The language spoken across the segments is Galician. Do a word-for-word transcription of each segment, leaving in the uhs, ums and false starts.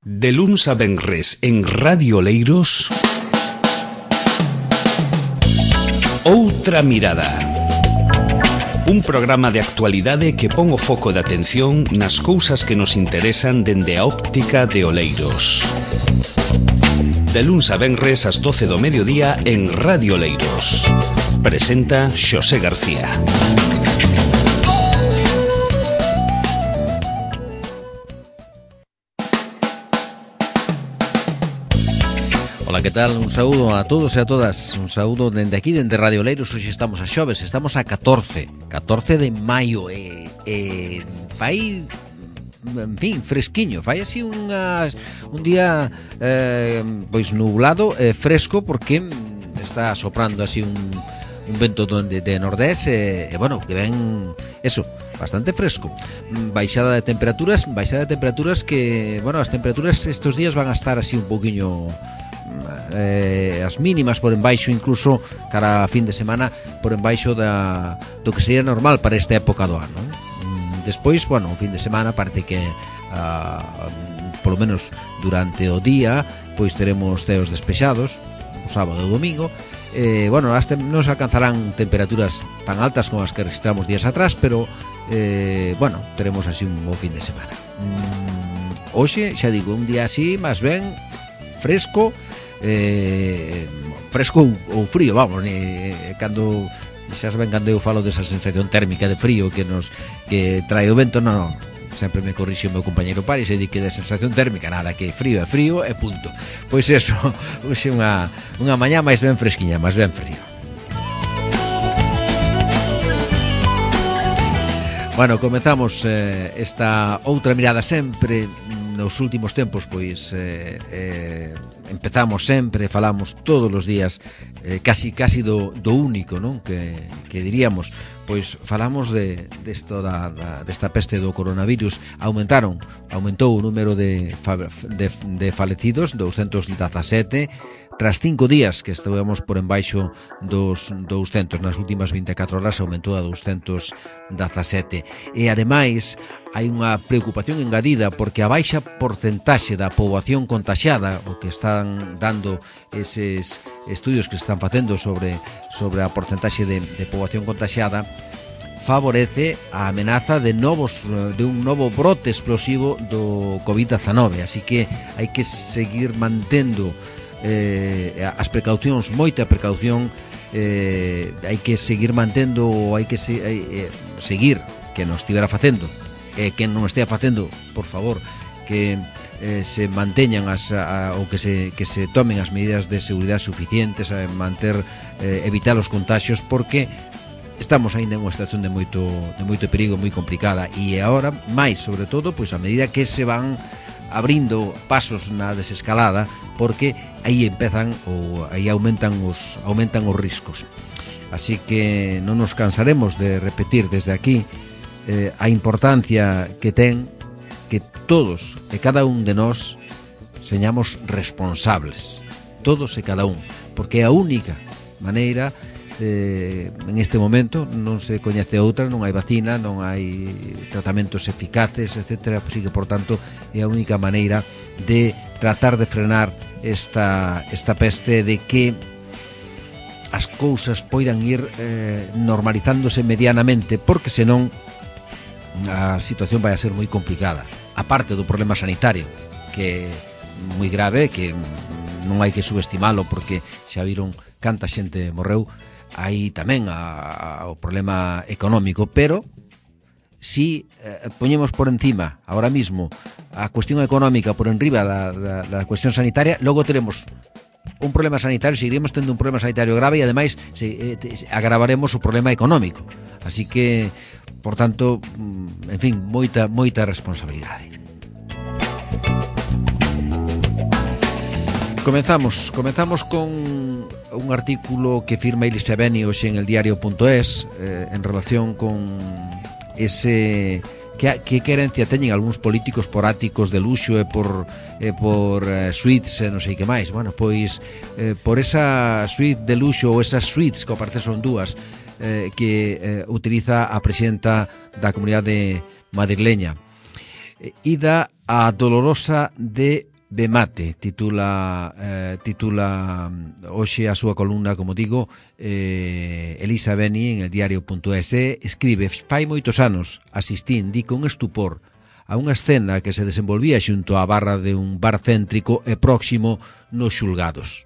De luns a venres en Radio Oleiros, Outra Mirada. Un programa de actualidade que pon o foco de atención nas cousas que nos interesan dende a óptica de Oleiros. De luns a venres ás doce do mediodía en Radio Oleiros. Presenta Xosé García. Ola, que tal? Un saúdo a todos e a todas. Un saúdo dende aquí, dende Radio Oleiros. Hoxe estamos a xoves, estamos a catorce catorce de maio e, e fai, en fin, fresquiño. Fai así unhas, un día eh, pois nublado e fresco, porque está soprando así un, un vento de, de nordés e, e bueno, que ven eso, bastante fresco. Baixada de temperaturas, baixada de temperaturas que, bueno, as temperaturas estos días van a estar así un poquinho eh, as mínimas por embaixo, incluso cara a fin de semana, por embaixo da, do que sería normal para esta época do ano. Despois, bueno, o fin de semana parece que uh, polo menos durante o día pois teremos ceos despexados, o sábado e o domingo. Eh, bueno, as tem- non se alcanzarán temperaturas tan altas como as que registramos días atrás, pero eh, bueno, teremos así un bo fin de semana. mm, Hoxe, xa digo, un día así máis ben fresco, eh, fresco ou, ou frío, vamos, ni, cando xa saben cando eu falo desa sensación térmica de frío que nos que trae o vento, non, non, sempre me corrixe o meu compañeiro Paris e di que de sensación térmica nada, que frío é frío e punto. Pois eso, hoxe unha, unha mañá máis ben fresquiña, máis ben frío. Bueno, comezamos eh, esta outra mirada sempre. Nos últimos tempos, pois eh, eh, empezamos sempre, falamos todos os días eh, casi casi do, do único, non? Que, que diríamos, pois falamos de desto da, da desta peste do coronavirus. Aumentaron, aumentou o número de, de, de falecidos, douscentos dezasete, tras cinco días que estivemos por embaixo dos douscentos. Nas últimas vinte e catro horas aumentou a douscentos dezasete. E ademais hai unha preocupación engadida porque a baixa porcentaxe da poboación contaxiada, o que están dando eses estudios que se están facendo sobre sobre a porcentaxe de, de poboación contaxiada, favorece a amenaza de novos de un novo brote explosivo do covid dezenove. Así que hai que seguir mantendo eh, as precaucións, moita precaución, eh, hai que seguir mantendo, hai que se, eh, seguir que nos estivera facendo e que non estea facendo, por favor, que eh, se manteñan as, a, ou que se, que se tomen as medidas de seguridade suficientes, a manter, eh, evitar os contaxios, porque estamos aínda en unha situación de moito, de moito perigo, moi complicada, e agora, máis, sobre todo, pois a medida que se van abrindo pasos na desescalada, porque aí empezan ou aí aumentan os aumentan os riscos. Así que non nos cansaremos de repetir desde aquí eh, a importancia que ten que todos e cada un de nós señamos responsables, todos e cada un, porque é a única maneira. Eh, en este momento non se coñece outra, non hai vacina, non hai tratamentos eficaces, etcétera. Así que, por tanto, é a única maneira de tratar de frenar esta, esta peste, de que as cousas poidan ir eh, normalizándose medianamente, porque senón a situación vai a ser moi complicada, aparte do problema sanitario, que é moi grave, que non hai que subestimalo, porque xa viron canta xente morreu. Hai tamén a, a, o problema económico, pero si eh, poñemos por encima ahora mismo a cuestión económica por enriba da, da, da cuestión sanitaria, logo teremos un problema sanitario, seguiremos tendo un problema sanitario grave e ademais se, eh, te, agravaremos o problema económico. Así que, por tanto, en fin, moita moita responsabilidade. Comenzamos, comenzamos con un artículo que firma Ilse Beni hoxe en el diario punto es, eh, en relación con ese que, que querencia teñen algúns políticos por áticos de luxo e por e por eh, suites e non sei que máis. Bueno, pois eh, por esa suite de luxo ou esas suites, que ao parecer son dúas, eh, que eh, utiliza a presidenta da comunidade madrileña, eh, Ida a Dolorosa de Bemate titula eh, titula hoxe a súa columna, como digo, eh, Elisa Beni en el diario punto es. Escribe: fai moitos anos asistín, di con estupor, a unha escena que se desenvolvía xunto á barra de un bar céntrico e próximo nos xulgados.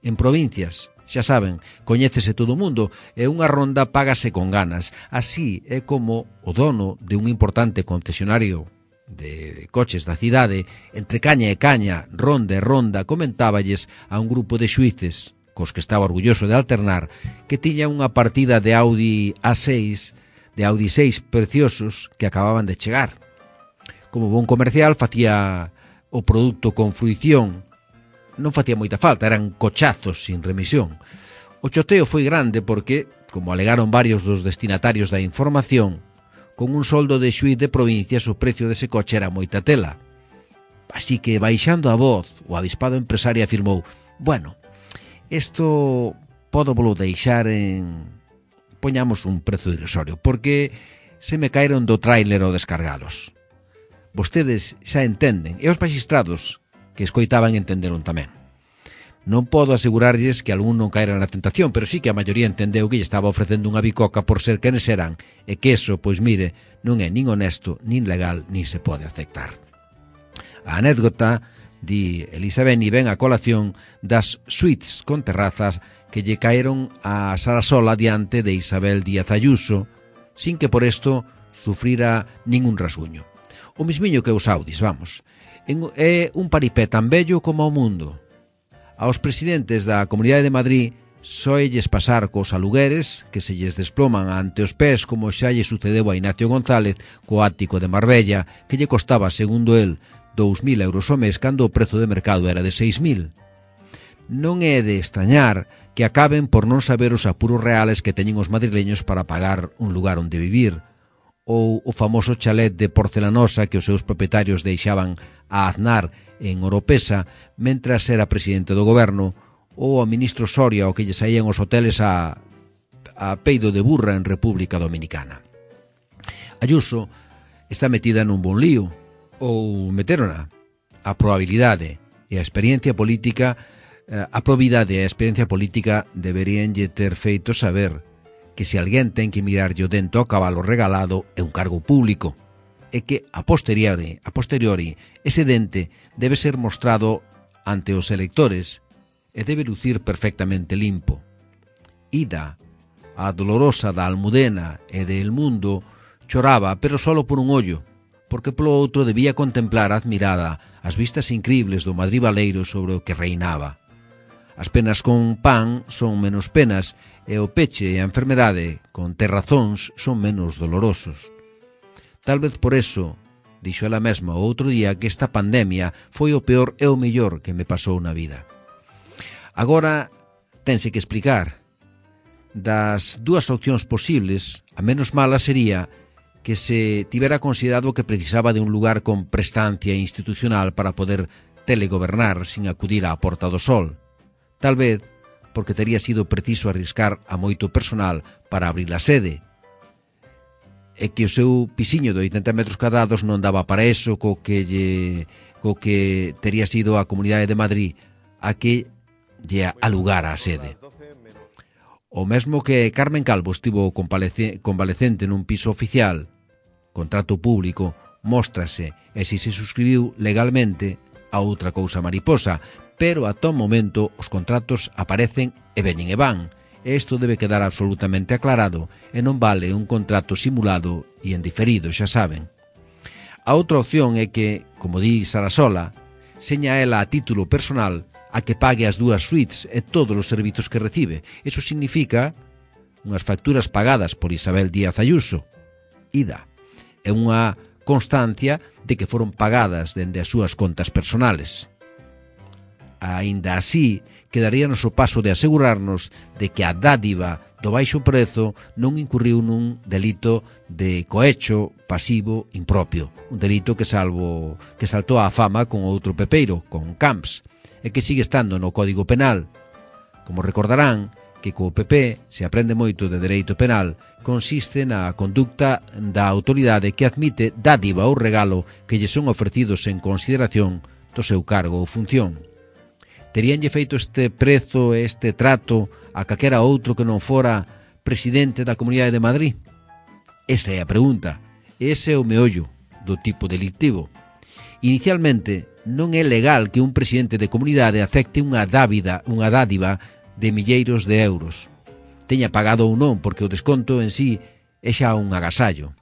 En provincias, xa saben, coñécese todo o mundo e unha ronda págase con ganas. Así é como o dono de un importante concesionario de coches da cidade, entre caña e caña, ronda e ronda, comentáballes a un grupo de xuíces, cos que estaba orgulloso de alternar, que tiña unha partida de Audi A seis, de Audi seis preciosos que acababan de chegar. Como bon comercial, facía o produto con fruición, non facía moita falta, eran cochazos sin remisión. O choteo foi grande porque, como alegaron varios dos destinatarios da información, con un soldo de xuíz de provincias o precio dese coche era moita tela. Así que, baixando a voz, o avispado empresario afirmou: bueno, isto podo volo deixar en... poñamos un prezo irrisorio, porque se me caeron do tráiler ao descargalos. Vostedes xa entenden, e os magistrados que escoitaban entenderon tamén. Non podo asegurarlles que algún non caera na tentación, pero sí que a maioría entendeu que lle estaba ofrecendo unha bicoca por ser quenes eran, e que eso, pois mire, non é nin honesto, nin legal, nin se pode aceptar. A anécdota, di Elisa Beni, ven a colación das suites con terrazas que lle caeron a Sarasola diante de Isabel Díaz Ayuso, sin que por isto sufrira ningún rasguño. O mismiño que os Audis, vamos. É un paripé tan bello como o mundo. Aos presidentes da Comunidade de Madrid soelles pasar cos alugueres que se lles desploman ante os pés, como xa lle sucedeu a Ignacio González co ático de Marbella, que lle costaba, segundo el, dous mil euros ao mes cando o prezo de mercado era de seis mil. Non é de extrañar que acaben por non saber os apuros reales que teñen os madrileños para pagar un lugar onde vivir, ou o famoso chalet de porcelanosa que os seus propietarios deixaban a Aznar en Oropesa mentras era presidente do goberno, ou ao ministro Soria o que lle saían os hoteles a, a peido de burra en República Dominicana. Ayuso está metida nun bon lío, ou meterona. A probabilidade e a experiencia política, a probidade e a experiencia política deberían lle ter feito saber que se alguén ten que mirarlle o dento ao cabalo regalado é un cargo público, e que a posteriori, a posteriori ese dente debe ser mostrado ante os electores e debe lucir perfectamente limpo. Ida, a dolorosa da Almudena e de El Mundo, choraba, pero solo por un ollo, porque polo outro debía contemplar admirada as vistas incribles do Madrid baleiro sobre o que reinaba. As penas con pan son menos penas e o peche e a enfermedade con terrazóns son menos dolorosos. Tal vez por eso, dixo ela mesma o outro día, que esta pandemia foi o peor e o mellor que me pasou na vida. Agora tense que explicar. Das dúas opcións posibles, a menos mala sería que se tivera considerado que precisaba de un lugar con prestancia institucional para poder telegobernar sin acudir á Porta do Sol. Tal vez porque tería sido preciso arriscar a moito personal para abrir a sede, e que o seu pisiño de oitenta metros cadrados non daba para eso, co que, lle, co que tería sido a Comunidade de Madrid a que lle alugara a sede. O mesmo que Carmen Calvo estivo convalecente nun piso oficial, contrato público, móstrase, e se se suscribiu legalmente, a outra cousa mariposa, pero a todo momento os contratos aparecen e veñen e van, e isto debe quedar absolutamente aclarado, e non vale un contrato simulado e en diferido, xa saben. A outra opción é que, como di Sarasola, seña ela a título personal a que pague as dúas suites e todos os servizos que recibe. Eso significa unhas facturas pagadas por Isabel Díaz Ayuso, Ida, e unha constancia de que foron pagadas dende as súas contas personales. Aínda así, quedaríanos o paso de asegurarnos de que a dádiva do baixo prezo non incurriu nun delito de cohecho pasivo impropio, un delito que salvo que saltou á fama con outro pepeiro, con Camps, e que sigue estando no Código Penal. Como recordarán, que co P P se aprende moito de dereito penal, consiste na conducta da autoridade que admite dádiva ou regalo que lle son ofrecidos en consideración do seu cargo ou función. Teríanlle feito este prezo e este trato a calquera outro que non fora presidente da Comunidade de Madrid? Esa é a pregunta. Ese é o meollo do tipo delictivo. Inicialmente, non é legal que un presidente de comunidade acepte unha dávida, unha dádiva de milleiros de euros. Teña pagado ou non, porque o desconto en sí é xa un agasallo,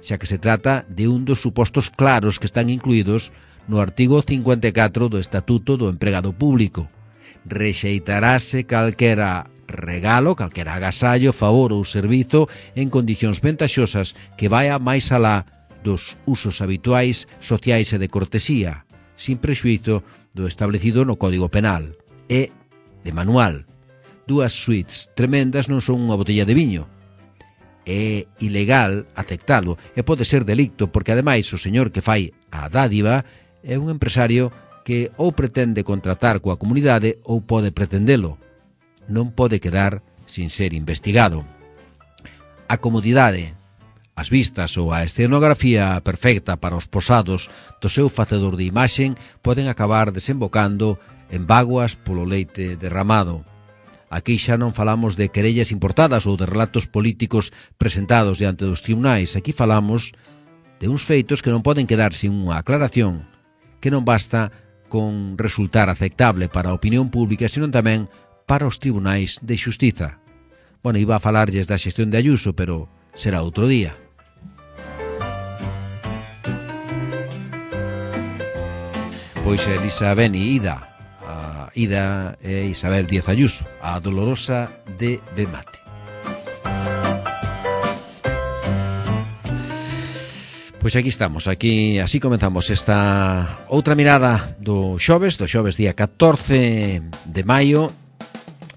xa que se trata de un dos supostos claros que están incluídos no artigo cincuenta e catro do Estatuto do Empregado Público. Rexeitarase calquera regalo, calquera agasallo, favor ou servizo en condicións ventaxosas que vaia máis alá dos usos habituais, sociais e de cortesía, sin prexuízo do establecido no Código Penal. E, de manual, dúas suites tremendas non son unha botella de viño. É ilegal aceptalo e pode ser delicto porque, ademais, o señor que fai a dádiva é un empresario que ou pretende contratar coa comunidade ou pode pretendelo. Non pode quedar sin ser investigado. A comodidade, as vistas ou a escenografía perfecta para os posados do seu facedor de imaxen poden acabar desembocando en bágoas polo leite derramado. Aquí xa non falamos de querellas importadas ou de relatos políticos presentados diante dos tribunais. Aquí falamos de uns feitos que non poden quedar sin unha aclaración, que non basta con resultar aceptable para a opinión pública, senón tamén para os tribunais de xustiza. Bueno, iba a falarlles da xestión de Ayuso, pero será outro día. Pois Elisa Beni, Ida, a Ida e Isabel Díaz Ayuso, a dolorosa de Bemate. Pois aquí estamos, aquí así comenzamos esta outra mirada do xoves, do xoves día catorce de maio,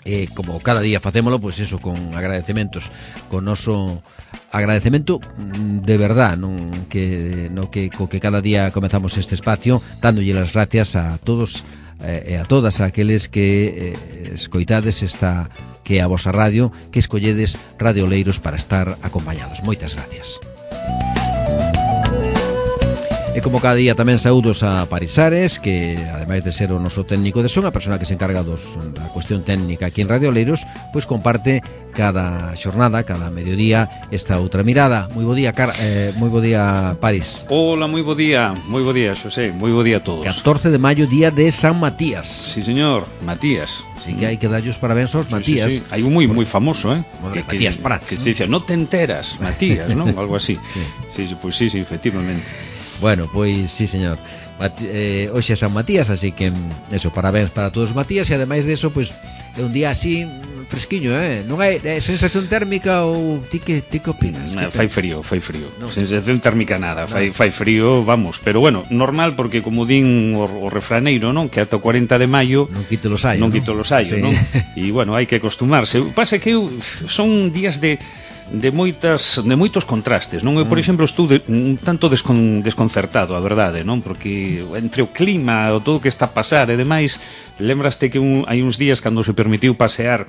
e como cada día facémolo, pois eso, con agradecementos, con noso agradecemento de verdad, non que no que co que cada día comenzamos este espacio, dándolle as gracias a todos e a todas aqueles que eh, escoitades esta que é a vosa radio, que escolledes Radio Oleiros para estar acompañados. Moitas gracias. E como cada día tamén saúdos a Parisares, que ademais de ser o noso técnico de son, a persona que se encarga dos, da cuestión técnica aquí en Radio Oleiros, pois comparte cada xornada, cada mediodía, esta outra mirada. Moi bo día, Car eh, moi bo día, Paris. Hola, moi bo día, moi bo día, Xosé, moi bo día a todos. catorce de maio, día de San Matías. Sí, señor, Matías. Así que hai que darlle os parabéns aos sí, Matías. Sí, sí. Hai un moi moi famoso, eh? Que, Matías que, Prats, que ¿no? se dice, no te enteras, Matías, ¿no? Algo así. Sí, sí, sí pues sí, sí, efectivamente. Bueno, pois sí, señor. Mati, eh, hoxe é San Matías, así que eso, parabéns para todos os Matías. E ademais de eso, pois é un día así fresquiño, eh? Non hai é sensación térmica ou ti que ti que opinas? No, fai frío, fai frío. No. Sensación térmica nada, No. fai fai frío, vamos, pero bueno, normal porque como din o, o refraneiro, non, que ata o cuarenta de maio non quito los hallos, non ¿no? quito los hallos, Sí. non? E bueno, hai que acostumarse. Pasa que eu, son días de de moitas de moitos contrastes, non? Eu, por exemplo, estou de, un tanto descon, desconcertado, a verdade, non? Porque entre o clima, o todo o que está a pasar e demais, lembraste que un, hai uns días cando se permitiu pasear,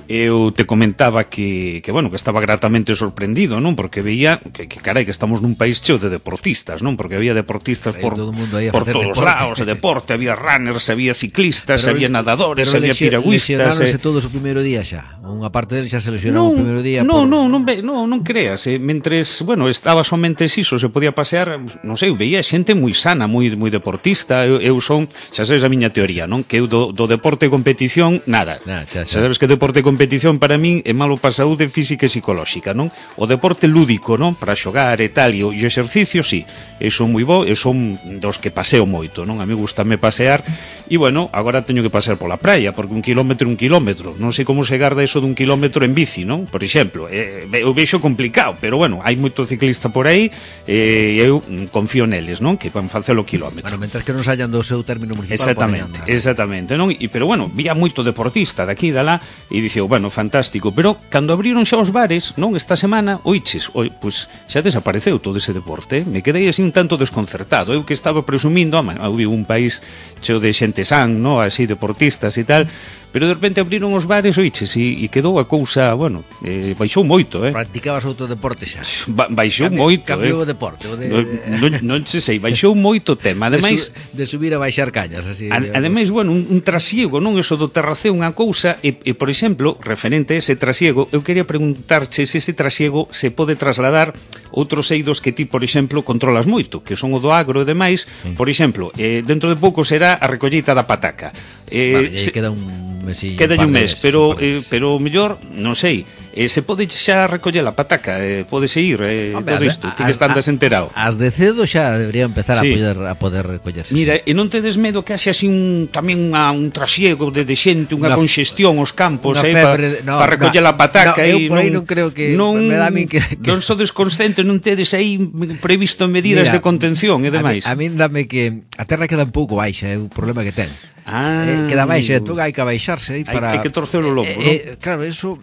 eu te comentaba que, que bueno, que estaba gratamente sorprendido, non? Porque veía que, que carai, que estamos nun país cheo de deportistas, non? Porque había deportistas por, todo mundo aí a por facer todos deporte. lados, de deporte, había runners, había ciclistas, Pero, había nadadores, pero había piragüistas. lesionáronse eh. todos o primeiro día xa. Unha parte deles xa se lesionaron o primeiro día. No, por... no, non, ve, no, non creas, eh, mentres, bueno, estaba somente iso, se podía pasear, non sei, veía xente moi sana, moi moi deportista. Eu, eu son, xa sabes a miña teoría, non? Que eu do, do deporte e competición, nada. Nah, xa, xa. Xa sabes que deporte e competición para min é malo para a saúde física e psicolóxica, non? O deporte lúdico, non? Para xogar e tal, e o, e o exercicio, sí, eu son moi bo, eu son dos que paseo moito, non? A mí gustame pasear, e bueno, agora teño que pasear pola praia, porque un kilómetro un kilómetro, non sei como se garda eso dun kilómetro en bici, non? Por exemplo, eh, eu vexo complicado, pero bueno, hai moito ciclista por aí, e eh, eu confío neles, non? Que van facer o kilómetro. Bueno, mentras que non sayan do seu término municipal. Exactamente, exactamente, non? E pero bueno, vía moito deportista daqui e dalá e diceo, bueno, fantástico, pero cando abriron xa os bares, non, esta semana, oiches, oi, pois xa desapareceu todo ese deporte, me quedei así un tanto desconcertado, eu que estaba presumindo, ah, eu vivo un país cheo de xente san, no? Así, deportistas e tal, pero de repente abriron os bares, oiches, e, e quedou a cousa, bueno, eh, baixou moito, eh? Practicabas outro deporte xa? Ba baixou Cambio, moito, cambiou eh? o deporte, o de... Non, non se sei, baixou moito o tema, ademais... De, su, de subir a baixar cañas, así... A, ademais, bueno, un, un trasiego, non? Eso do terraceo, unha cousa, e, e, por exemplo, referente a ese trasiego, eu quería preguntarche se ese trasiego se pode trasladar outros eidos que ti, por exemplo, controlas moito, que son o do agro e demais. Sí. Por exemplo, eh, dentro de pouco será a recolleita da pataca. Vale, Eh, se, queda un mesillo, queda un, un mes, mes, pero un eh, pero mellor, non sei, eh, se pode xa recoller a pataca, eh, pode seguir eh, Hombre, todo isto, ti que estandas enterado. As de cedo xa debería empezar sí. a poder a poder recollerse. Mira, sí. e non tedes medo que haxe así un tamén unha, un trasiego de, de xente, unha congestión aos campos, eh, para no, pa recoller no, a pataca, no, e eu por aí non, non creo que non, me dá a min que, que... non sodes conscientes, non tedes aí previsto medidas Mira, de contención e demais. A min dame que a terra queda un pouco baixa, é o problema que ten. Ah, eh, queda baixa, entón hai que abaixarse aí para... Hai, hai que torcer o lombo, eh, non? Eh, claro, eso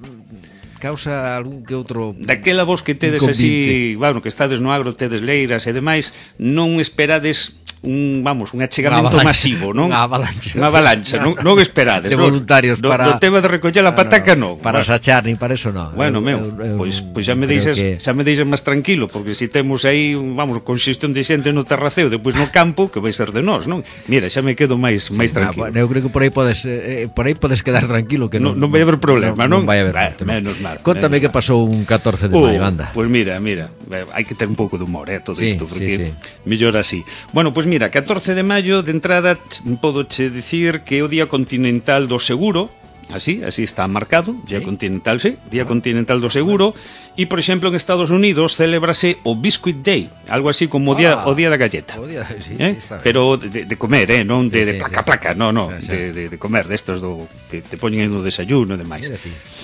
causa algún que outro... Daquela vos que tedes así, bueno, que estades no agro, tedes leiras e demais, non esperades un, vamos, un achegamento masivo, non? Unha avalancha. Unha avalancha, non, non esperades. De voluntarios no, para... No tema de recoller a pataca, non. No, para bueno, sachar, ni para eso, non. Bueno, eu, meu, eu, pois, pois xa me deixas, que... xa me deixas máis tranquilo, porque se si temos aí, vamos, congestión de xente no terraceo, depois no campo, que vai ser de nós, non? Mira, xa me quedo máis máis tranquilo. Ah, bueno, eu creo que por aí podes eh, por aí podes quedar tranquilo, que non non, non vai haber problema, non? Non vai haber, bah, no. Menos mal. Contame que pasou un catorce de maio, anda. Pois pues mira, mira, hai que ter un pouco de humor, eh, todo sí, isto, porque sí, sí. mellor así. Bueno, pois pues mira, catorce de maio, de entrada, podo che dicir que é o Día Continental do Seguro, así, así está marcado, Día ¿Sí? Continental, sí, Día ah. Continental do Seguro, e, por exemplo, en Estados Unidos célebrase o Biscuit Day, algo así como o día, ah, o día da galleta. O día, sí, eh? sí, está bien. Pero de, de comer, eh, non de, sí, de placa, sí. placa, no, no, sí, sí. De, de, de comer, destos do que te poñen no desayuno e demais.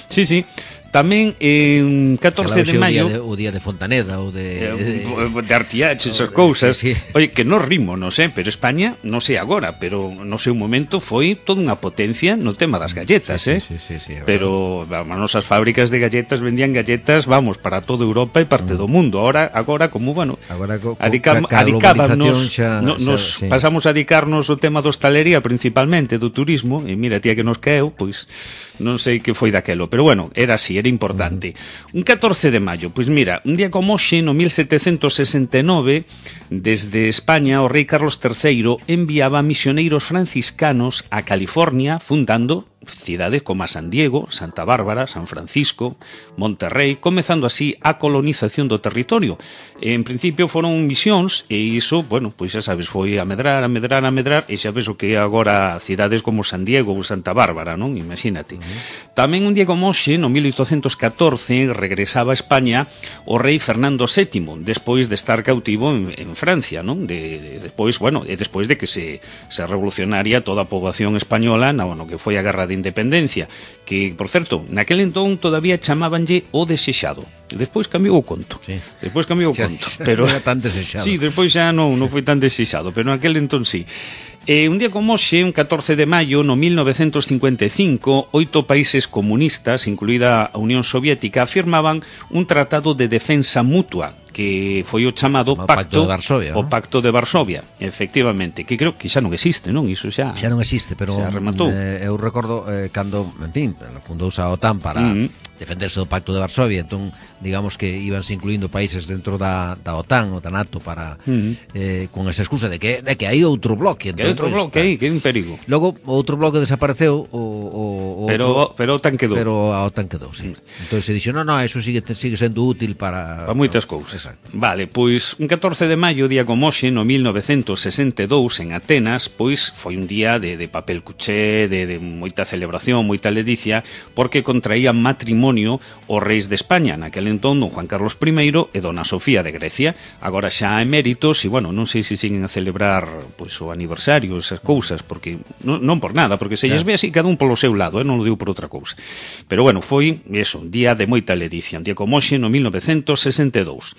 Sí, sí. Tamén en catorce de maio o día de, o día de Fontaneda ou de de, de Artiach, esas cousas. Sí, sí. Oye, que non rimo, non sei, pero España, non sei agora, pero no seu momento foi toda unha potencia no tema das galletas, sí, eh? Sí, sí, sí, sí, pero vamos, nosas fábricas de galletas vendían galletas, vamos, para toda Europa e parte mm. do mundo. Ahora, agora como, bueno, agora co, adicam, ca, ca adicábamos, xa, no, nos xa, sí. pasamos a dedicarnos ao tema da hostalería principalmente, do turismo, e mira, tía que nos caeu, pois non sei que foi daquelo, pero bueno, era así, era importante. Mm. Un catorce de maio, pois mira, un día como hoxe, no mil setecentos sesenta e nove, desde España, o rei Carlos terceiro enviaba misioneiros franciscanos a California, fundando cidades como a San Diego, Santa Bárbara, San Francisco, Monterrey, comezando así a colonización do territorio. En principio foron misións, e iso, bueno, pois xa sabes, foi a medrar, a medrar, a medrar, e xa ves o que é agora cidades como San Diego ou Santa Bárbara, non? Imagínate. Uh-huh. Tamén un día como hoxe, no mil oitocentos catorce, regresaba a España o rei Fernando sétimo, despois de estar cautivo en, en Francia, non? De, de, despois, bueno, e despois de que se, se revolucionaria toda a poboación española no, no que foi a Guerra de Independencia, que, por certo, naquel entón todavía chamábanlle o desexado. Despois cambiou o conto. Sí. Despois cambiou o conto, pero era tan desexado. Sí, despois xa non, non foi tan desexado, pero naquel entón sí. Eh, un día como hoxe, un catorce de maio, no mil novecentos cincuenta e cinco, oito países comunistas, incluída a Unión Soviética, firmaban un tratado de defensa mutua, que foi o chamado Pacto, pacto de Varsovia, o ¿no? Pacto de Varsovia, efectivamente, que creo que xa non existe, non? Iso xa xa non existe, pero xa rematou. Eh, eu recordo eh, cando, en fin, fundouse a OTAN para mm-hmm. defenderse do Pacto de Varsovia, entón digamos que íbanse incluindo países dentro da, da OTAN ou da NATO para mm-hmm. eh, con esa excusa de que, de que hai outro bloque, que hai outro bloque aí, que é un perigo. Logo outro bloque desapareceu o, o, o pero, outro, pero a OTAN quedou. Pero a OTAN quedou, sí. Entón se dixo, no, no, eso sigue, sigue sendo útil para... Para moitas no, cousas. Exacto. Vale, pois un catorce de maio, día como hoxe, no mil novecentos sesenta e dous, en Atenas, pois foi un día de, de papel cuché, de, de moita celebración, moita ledicia, porque contraían matrimonio os reis de España, naquel entón don Juan Carlos primeiro e dona Sofía de Grecia, agora xa eméritos, e bueno, non sei se siguen a celebrar pois o aniversario, esas cousas, porque non, non por nada, porque se lles ve así cada un polo seu lado, eh, non lo digo por outra cousa. Pero bueno, foi, eso, un día de moita ledicia, un día como hoxe, no mil novecentos sesenta e dous.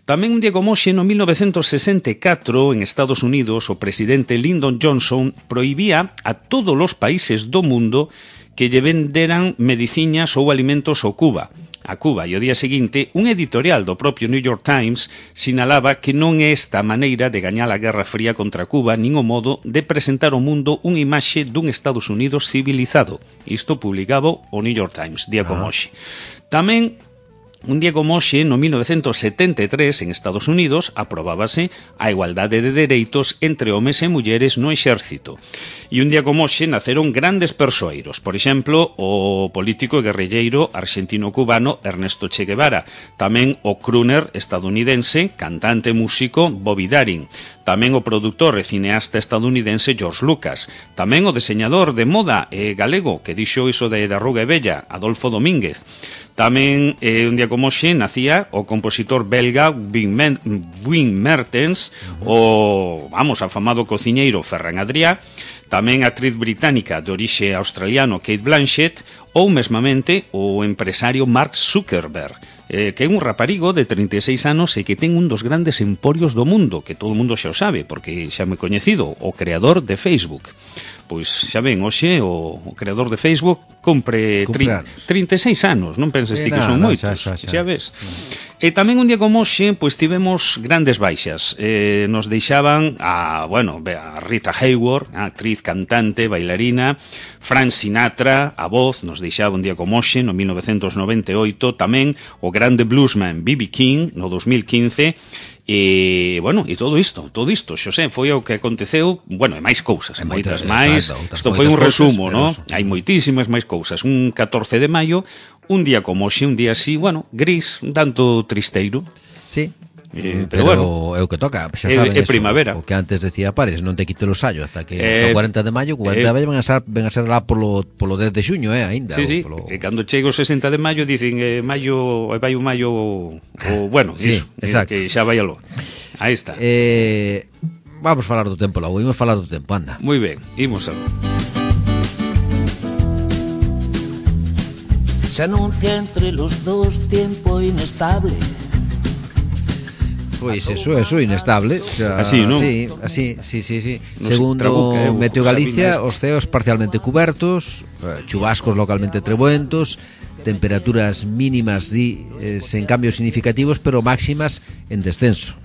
Tamén un día como hoxe, no mil novecentos sesenta e catro, en Estados Unidos, o presidente Lyndon Johnson prohibía a todos os países do mundo que lle venderan mediciñas ou alimentos ao Cuba. a Cuba, e o día seguinte un editorial do propio New York Times sinalaba que non é esta a maneira de gañar a Guerra Fría contra Cuba, nin o modo de presentar ao mundo unha imaxe dun Estados Unidos civilizado. Isto publicaba o New York Times, día como hoxe. Tamén, un día como hoxe, no mil novecentos setenta e tres, en Estados Unidos, aprobábase a igualdade de dereitos entre homes e mulleres no exército. E un día como hoxe naceron grandes persoeiros. Por exemplo, o político e guerrilleiro argentino-cubano Ernesto Che Guevara. Tamén o crooner estadounidense, cantante e músico Bobby Darin. Tamén o produtor e cineasta estadounidense George Lucas. Tamén o deseñador de moda e galego que dixo iso de da Ruga e Bella, Adolfo Domínguez. Tamén, eh, un día como hoxe, nacía o compositor belga Wim Mertens, o, vamos, afamado cociñeiro Ferran Adrià, tamén a actriz británica de orixe australiano Kate Blanchett, ou mesmamente o empresario Mark Zuckerberg, eh, que é un raparigo de trinta e seis anos e que ten un dos grandes emporios do mundo, que todo o mundo xa o sabe, porque xa me coñecido, o creador de Facebook. Pois xa ven, hoxe o, o creador de Facebook compre tri, trinta e seis anos, non penses ti que son moitos, xa, xa, xa. xa ves. E tamén un día como hoxe, pois tivemos grandes baixas. Eh, nos deixaban a, bueno, a Rita Hayworth, a actriz, cantante, bailarina, Frank Sinatra, a voz, nos deixaba un día como hoxe, no mil novecentos noventa e oito, tamén o grande bluesman B B King, no dos mil quince, e, bueno, e todo isto, todo isto, Xosé, foi o que aconteceu, bueno, e máis cousas, e moitas máis, isto foi un resumo, non? Hai moitísimas máis cousas. Un catorce de maio, un día como hoxe, un día así, bueno, gris, un tanto tristeiro. Sí. Eh, pero, pero bueno, é o que toca, xa é, saben é eso, primavera. O que antes decía Pares, non te quite los sallos hasta que eh, o cuarenta de maio, cuarenta de maio ven a ser, ven a ser lá polo, polo dez de xuño, eh, aínda. Sí, sí, polo... e cando chega o sesenta de maio dicen eh, maio, vai o maio o, bueno, sí, iso, exacto. que xa vai aló. Aí está. Eh, vamos falar do tempo logo, imos falar do tempo, anda. Moi ben, imos a... Se anuncia entre los dos tiempo inestable. Pois eso, eso inestable, xa, así, non? Sí, así, sí, sí, sí. No Segundo trabuca, eh, Meteo Galicia, os ceos parcialmente cubertos, chubascos localmente trebuentos, temperaturas mínimas di, eh, sen cambios significativos, pero máximas en descenso.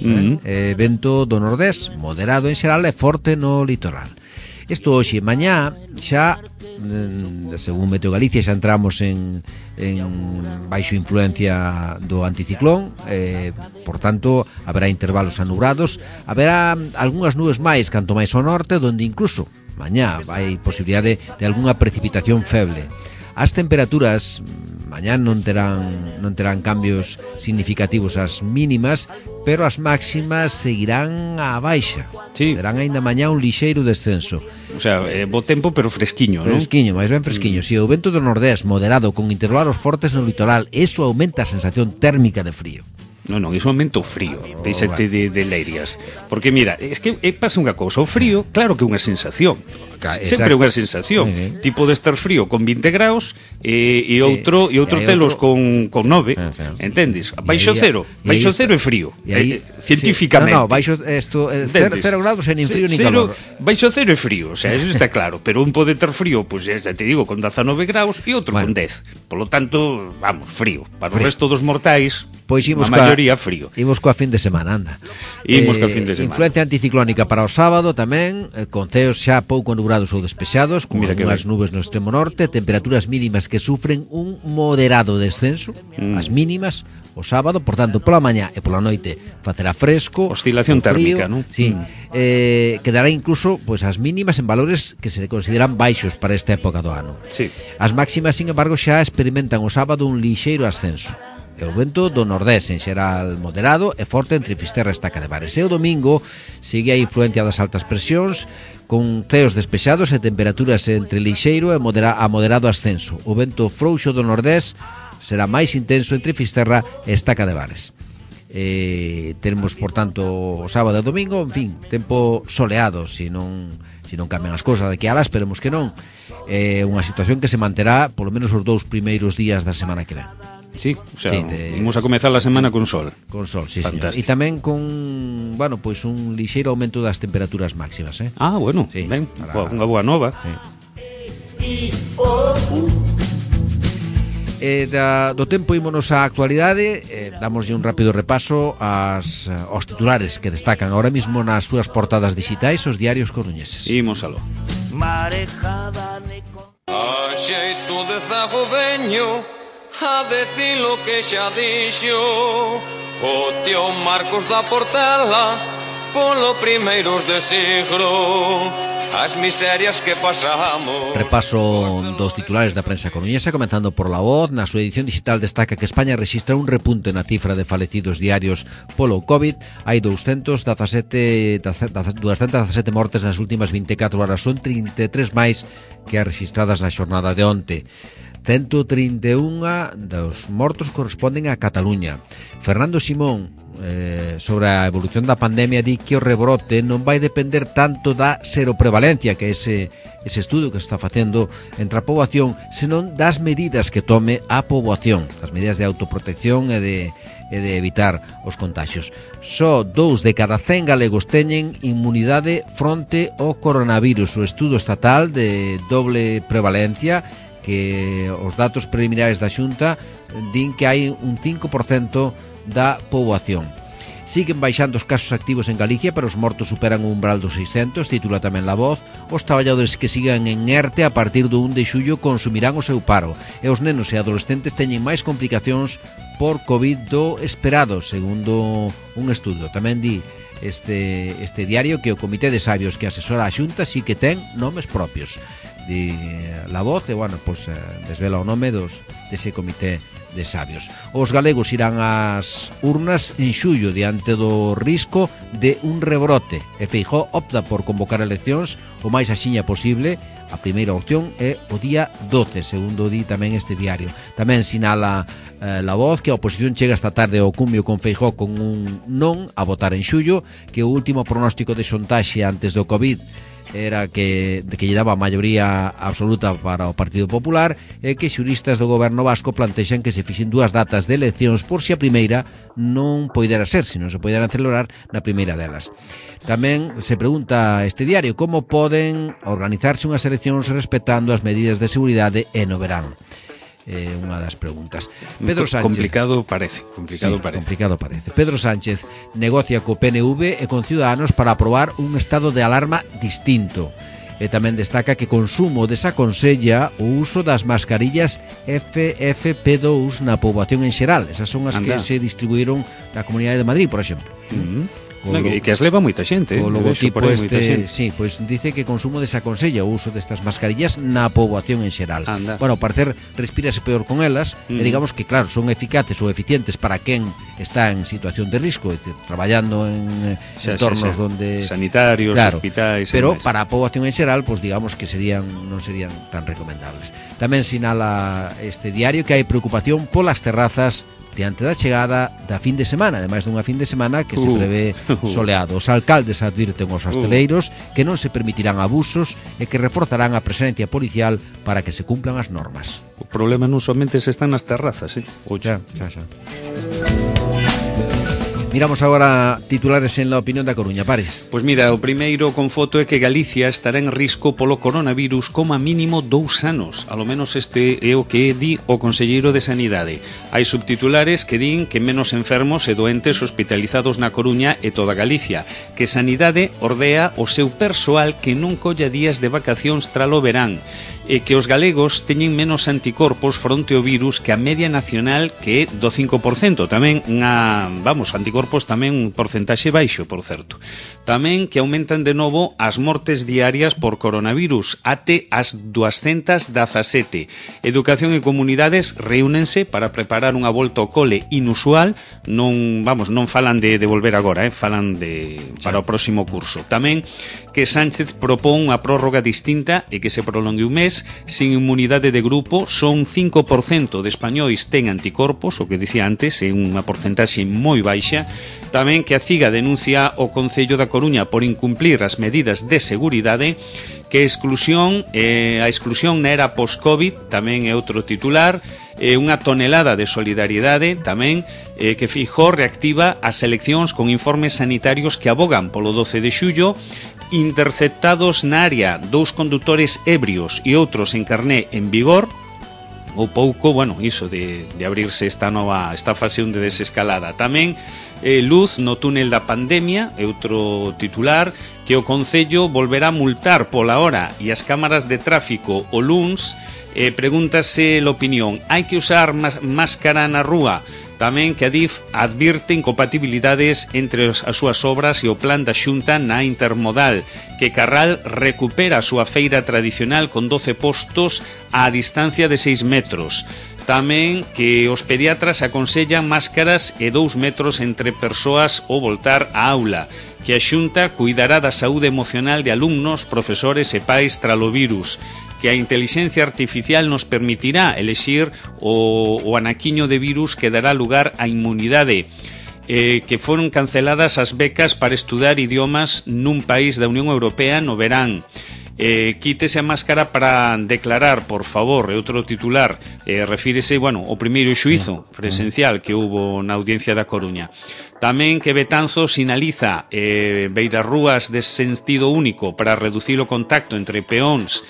Uh-huh. eh, vento do nordés, moderado en xeral e forte no litoral. Isto hoxe, mañá, xa, según Meteo Galicia, xa entramos en, en baixo influencia do anticiclón, eh, por tanto, haberá intervalos anubrados, haberá algunhas nubes máis canto máis ao norte, donde incluso mañá vai posibilidade de algunha precipitación feble. As temperaturas mañá non terán non terán cambios significativos as mínimas, pero as máximas seguirán á baixa. Sí. Terán aínda mañá un lixeiro descenso. O sea, eh, bo tempo, pero fresquiño, non? Fresquiño, máis ben fresquiño. Mm. Si o vento do nordés moderado con intervalos fortes no litoral, eso aumenta a sensación térmica de frío. Non, non, iso aumenta o frío, oh, deixate de, de leirias. Porque mira, es que é, pasa unha cousa, o frío, claro que é unha sensación. Sempre é unha sensación. Uh-huh. Ti podes estar frío con vinte graus e, e outro sí. e outro e telos outro... con, con nove, uh, sí. Entendes? Baixo aí, cero, baixo cero é frío, aí, eh, científicamente. Sí. No, no, baixo esto, eh, cero, cero graus é nin frío nin calor. Baixo cero é frío, o sea, eso está claro, pero un pode ter frío, pois pues, te digo, con dezanove graus e outro bueno. con dez. Por lo tanto, vamos, frío. Para frío. O resto dos mortais, pois a maioría frío. Imos coa fin de semana, anda. Imos eh, coa fin de semana. Influencia anticiclónica para o sábado tamén, eh, con ceos xa pouco nubrados ou despexados, con algunhas nubes no extremo norte, temperaturas mínimas que sufren un moderado descenso, mm. as mínimas, o sábado, por tanto, pola mañá e pola noite facerá fresco, oscilación térmica, non? Sí, mm. eh, quedará incluso pois as mínimas en valores que se consideran baixos para esta época do ano. Sí. As máximas, sin embargo, xa experimentan o sábado un lixeiro ascenso. E o vento do nordés en xeral moderado e forte entre Fisterra e Estaca de Bares. E o domingo sigue a influencia das altas presións con ceos despexados e temperaturas entre lixeiro e modera, a moderado ascenso. O vento frouxo do nordés será máis intenso entre Fisterra e Estaca de Bares. Eh, teremos, por tanto, o sábado e o domingo, en fin, tempo soleado, se non se non cambian as cousas daqui a lá, esperemos que non. É eh, unha situación que se manterá polo menos os dous primeiros días da semana que ven. Sí, o sea, sí, de... imos a comezar a semana con sol. Con sol, sí, señor. E tamén con, bueno, pois pues un lixeiro aumento das temperaturas máximas, eh? Ah, bueno, sí, ben, para... unha boa nova. Sí. E da, do tempo ímonos á actualidade, eh, damoslle un rápido repaso ás, aos titulares que destacan ahora mismo nas súas portadas digitais os diarios coruñeses. Imos aló. Marejada Nico. A xeito de zago veño a decir lo que xa dixo o tío Marcos da Portela polo primeiros de siglo. As miserias que pasamos. Repaso dos titulares da prensa coruñesa, comenzando por La Voz. Na súa edición digital destaca que España rexistra un repunte na cifra de falecidos diarios polo COVID. Hai doscientas dezasete mortes nas últimas vinte e catro horas, son trinta e tres máis que as registradas na xornada de onte. ciento trinta e un dos mortos corresponden a Cataluña. Fernando Simón, eh, sobre a evolución da pandemia, di que o rebrote non vai depender tanto da seroprevalencia, que é ese, ese estudo que se está facendo entre a poboación, senón das medidas que tome a poboación, as medidas de autoprotección e de, e de evitar os contagios. Só dous de cada cen galegos teñen inmunidade fronte ao coronavirus. O estudo estatal de doble prevalencia, que os datos preliminares da Xunta din que hai un cinco por cento da poboación. Siguen baixando os casos activos en Galicia, pero os mortos superan o umbral dos seiscentos, titula tamén La Voz. Os traballadores que sigan en ERTE a partir do un de xullo consumirán o seu paro, e os nenos e adolescentes teñen máis complicacións por COVID do esperado, segundo un estudo. Tamén di este, este diario que o Comité de Sabios que asesora a Xunta sí que ten nomes propios. De La Voz, e, bueno, pues, eh, desvela o nome dos dese Comité de Sabios. Os galegos irán ás urnas en xullo diante do risco de un rebrote, e Feijóo opta por convocar eleccións o máis axiña posible. A primeira opción é o día doce, segundo di tamén este diario. Tamén sinala eh, La Voz que a oposición chega esta tarde ao cumio con Feijóo con un non a votar en xullo, que o último pronóstico de xontaxe antes do COVID era que, de que lle daba a maioría absoluta para o Partido Popular, e que xuristas do goberno vasco plantexan que se fixen dúas datas de eleccións por si a primeira non poidera ser, se non se poideran celebrar na primeira delas. Tamén se pregunta este diario como poden organizarse unhas eleccións respetando as medidas de seguridade e no verán. É unha das preguntas. Pedro Sánchez, complicado parece, complicado sí, parece. complicado parece. Pedro Sánchez negocia co P N V e con Ciudadanos para aprobar un estado de alarma distinto. E tamén destaca que Consumo desaconsella o uso das mascarillas F F P dous na poboación en xeral. Esas son as Anda. que se distribuíron na Comunidade de Madrid, por exemplo. Mm-hmm. No, que, que as leva moita xente. O eh, logotipo por aí este, moita xente. sí, pois pues dice que Consumo desaconsella o uso destas mascarillas na poboación en xeral. Anda. Bueno, ao parecer respírase peor con elas, Mm. e digamos que claro, son eficaces ou eficientes para quen está en situación de risco, é dicir, traballando en Xa, entornos xa, xa. onde sanitarios, claro, hospitais, pero e máis. para a poboación en xeral, pois pues, digamos que serían non serían tan recomendables. Tamén sinala este diario que hai preocupación polas terrazas diante da chegada da fin de semana, ademais dunha fin de semana que se Uh. prevé soleado. Os alcaldes advirten aos hosteleiros que non se permitirán abusos e que reforzarán a presencia policial para que se cumplan as normas. O problema non somente se están nas terrazas, eh? Xa, xa, xa. Miramos agora titulares en la opinión da Coruña, Pares. Pois mira, o primeiro con foto é que Galicia estará en risco polo coronavirus como a mínimo dous anos. Alo menos este é o que di o Conselleiro de Sanidade. Hai subtitulares que din que menos enfermos e doentes hospitalizados na Coruña e toda Galicia, que Sanidade ordea o seu persoal que non colla días de vacacións tralo verán, e que os galegos teñen menos anticorpos fronte ao virus que a media nacional, que é do cinco por cento. Tamén, a, vamos, anticorpos tamén un porcentaxe baixo, por certo. Tamén que aumentan de novo as mortes diarias por coronavirus, até as doscientas dezasete. Educación e comunidades reúnense para preparar unha volta ao cole inusual, non, vamos, non falan de, de volver agora, eh, falan de para o próximo curso. Tamén que Sánchez propón unha prórroga distinta e que se prolongue un mes. Sin inmunidade de grupo, son cinco por cento de españois ten anticorpos, o que dicía antes, é unha porcentaxe moi baixa. Tamén que a CIGA denuncia o Concello da Coruña por incumplir as medidas de seguridade, que exclusión, eh, a exclusión na era post-COVID tamén é outro titular, eh, unha tonelada de solidariedade tamén, eh, que Feijóo reactiva as eleccións con informes sanitarios que abogan polo doce de xullo. Interceptados na área dous condutores ebrios e outros en carné en vigor. ou pouco, bueno, iso de, de abrirse esta nova esta fase de desescalada. Tamén eh, luz no túnel da pandemia, é outro titular, que o Concello volverá a multar pola hora e as cámaras de tráfico o luns. Eh, pregúntase l'opinión, hai que usar máscara na rúa? Tamén que a D I F advirte incompatibilidades entre as súas obras e o plan da Xunta na intermodal, que Carral recupera a súa feira tradicional con doce postos á distancia de seis metros. Tamén que os pediatras aconsellan máscaras e dous metros entre persoas ao voltar á aula, que a Xunta cuidará da saúde emocional de alumnos, profesores e pais tralo virus, que a intelixencia artificial nos permitirá elexir o, o anaquiño de virus que dará lugar á inmunidade, eh, que foron canceladas as becas para estudar idiomas nun país da Unión Europea no verán. Eh, quítese a máscara para declarar, por favor, é outro titular, eh, refírese, bueno, o primeiro xuízo presencial que hubo na Audiencia da Coruña. Tamén que Betanzos sinaliza eh, beirarrúas de sentido único para reducir o contacto entre peóns,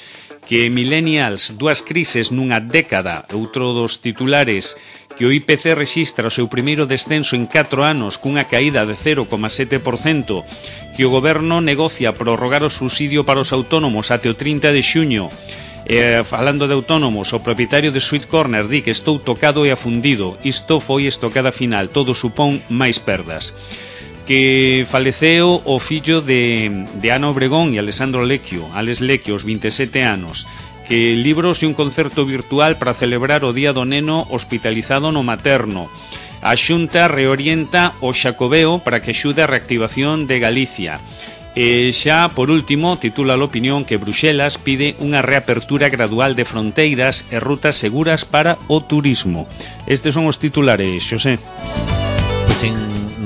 que millennials, dúas crises nunha década, outro dos titulares, que o I P C rexistra o seu primeiro descenso en catro anos cunha caída de cero coma sete por cento, que o goberno negocia prorrogar o subsidio para os autónomos até o trinta de xuño. Eh, falando de autónomos, o propietario de Sweet Corner di que estou tocado e afundido, isto foi estocada final, todo supón máis perdas. Que faleceu o fillo de, de Ana Obregón e Alessandro Lecchio, Alex Lecchio, aos vinte e sete anos, que libros e un concerto virtual para celebrar o Día do Neno hospitalizado no materno. A Xunta reorienta o Xacobeo para que axude a reactivación de Galicia. E xa, por último, titula a opinión que Bruxelas pide unha reapertura gradual de fronteiras e rutas seguras para o turismo. Estes son os titulares, Xosé. Pois en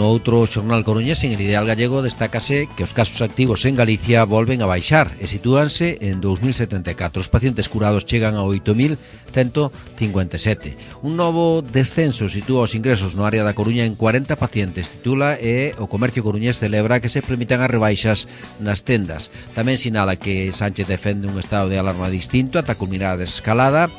no outro xornal coruñés, en El Ideal Gallego, destácase que os casos activos en Galicia volven a baixar e sitúanse en dous mil setenta e catro. Os pacientes curados chegan a oito mil cento cincuenta e sete. Un novo descenso sitúa os ingresos no área da Coruña en cuarenta pacientes, titula, e o comercio coruñés celebra que se permitan as rebaixas nas tendas. Tamén sinala que Sánchez defende un estado de alarma distinto ata culminar a desescalada,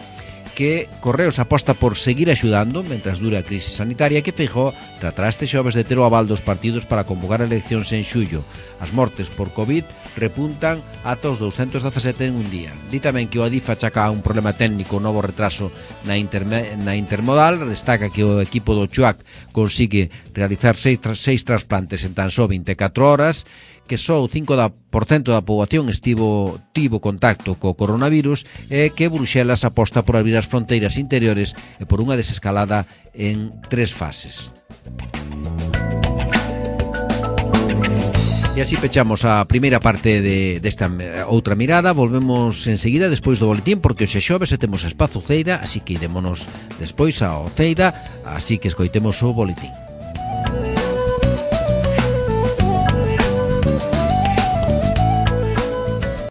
que Correos aposta por seguir axudando mentras dure a crise sanitaria, que Feijóo tratará este xoves de ter o aval dos partidos para convocar eleccións en xullo. As mortes por COVID repuntan ata os douscentos dezasete en un día. Di tamén que o Adif achaca un problema técnico, un novo retraso na, interme, na intermodal. Destaca que o equipo do Chuac consigue realizar seis, seis trasplantes en tan só vinte e catro horas, que só o cinco por cento da poboación estivo tivo contacto co coronavirus, e que Bruxelas aposta por abrir as fronteiras interiores e por unha desescalada en tres fases. E así pechamos a primeira parte de, desta outra mirada. Volvemos enseguida despois do boletín, porque hoxe xoves e temos espazo Ceida, así que idémonos despois ao Ceida, así que escoitemos o boletín.